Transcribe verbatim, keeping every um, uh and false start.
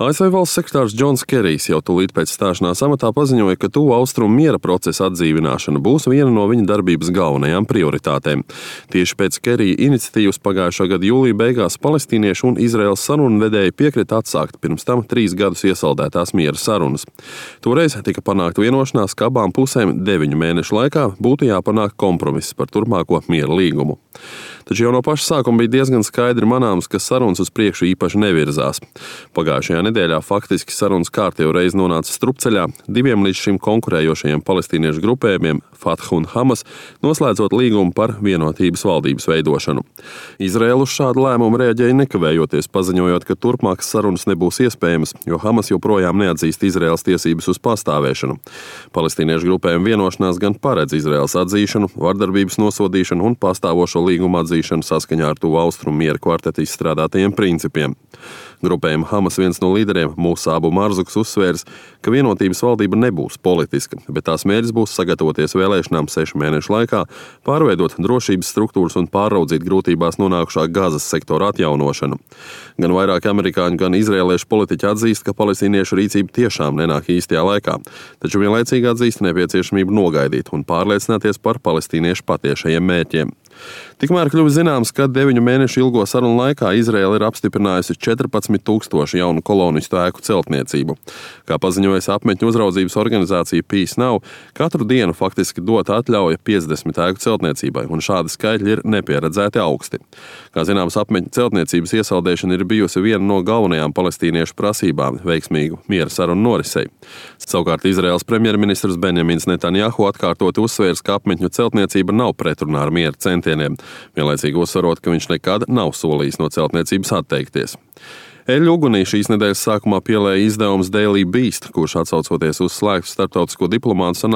A S V valsts sekretārs Džons Kerijs jau tūlīt pēc stāšanās amatā paziņoja, ka tuvu austrumu miera procesa atdzīvināšana būs viena no viņa darbības galvenajām prioritātēm. Tieši pēc Kerija iniciatīvas pagājušā gada jūlija beigās palestīniešu un Izraēlas sarunvedēji piekrita atsākt pirms tam trīs gadus iesaldētās miera sarunas. Toreiz tika panākta vienošanās, ka abām pusēm deviņu mēnešu laikā būtu jāpanāk kompromiss par turpmāko miera līgumu. Taču jau no paša sākuma bija diezgan skaidri manāms, ka sarunas uz priekšu īpaši nevirzās. Pagājušajā nedēļā faktiski sarunas kārtējo reizi nonāca strupceļā diviem līdz šim konkurējošajiem palestīniešu grupējumiem, Fatah un Hamas, noslēdzot līgumu par vienotības valdības veidošanu. Izraēla uz šādu lēmumu reaģēja nekavējoties, paziņojot, ka turpmākas sarunas nebūs iespējamas, jo Hamas joprojām neatzīst Izraēlas tiesības uz pastāvēšanu. Palestīniešu grupējuma vienošanās gan paredz Izraēlas atzīšanu, vardarbības nosodīšanu un pastāvošo līgumu atzīšanu saskaņā ar tuvu austrumu miera kvarteta izstrādātajiem principiem. Grupējuma Hamas viens no līderiem, Mūsa Abu Marzuks, uzsvērs, ka vienotības valdība nebūs politiska, bet tās mērķis būs sagatavoties vēlēšanām sešu mēnešu laikā, pārveidot drošības struktūras un pāraudzīt grūtībās nonākušā Gazas sektora atjaunošanu. Gan vairāki amerikāņu, gan izrēliešu politiķi atzīst, ka palestīniešu rīcība tiešām nenāk īstajā laikā, taču vienlaicīgi atzīst nepieciešamību nogaidīt un pārliecināties par palestīniešu patiešajiem mērķiem. Tikmēr kļuvis zināms, ka deviņu mēnešu ilgo sarunu laikā Izraēla ir apstiprinājusi četrpadsmit tūkstoši jaunu kolonistu ēku celtniecību. Kā paziņojas apmetņu uzraudzības organizācija Peace Now, katru dienu faktiski dota atļauja piecdesmit ēku celtniecībai, un šādi skaitļi ir nepieredzēti augsti. Kā zināms, apmetņu celtniecības iesaldēšana ir bijusi viena no galvenajām palestīniešu prasībām veiksmīgu miera sarunu norisei. Savukārt Izraēlas premjerministrs Benjamins Netanjahu atkārtoti uzsvērs, ka apmetņu celtniecība nav pretrunā ar miera centieniem, vienlaicīgi uzsverot, ka viņš nekad nav solījis no celtniecības atteikties. Eļļu ugunī šīs nedēļas sākumā pielēja izdevums Daily Beast, kurš atsaucoties uz slēgtu starptautisko diplomātu sanāksmi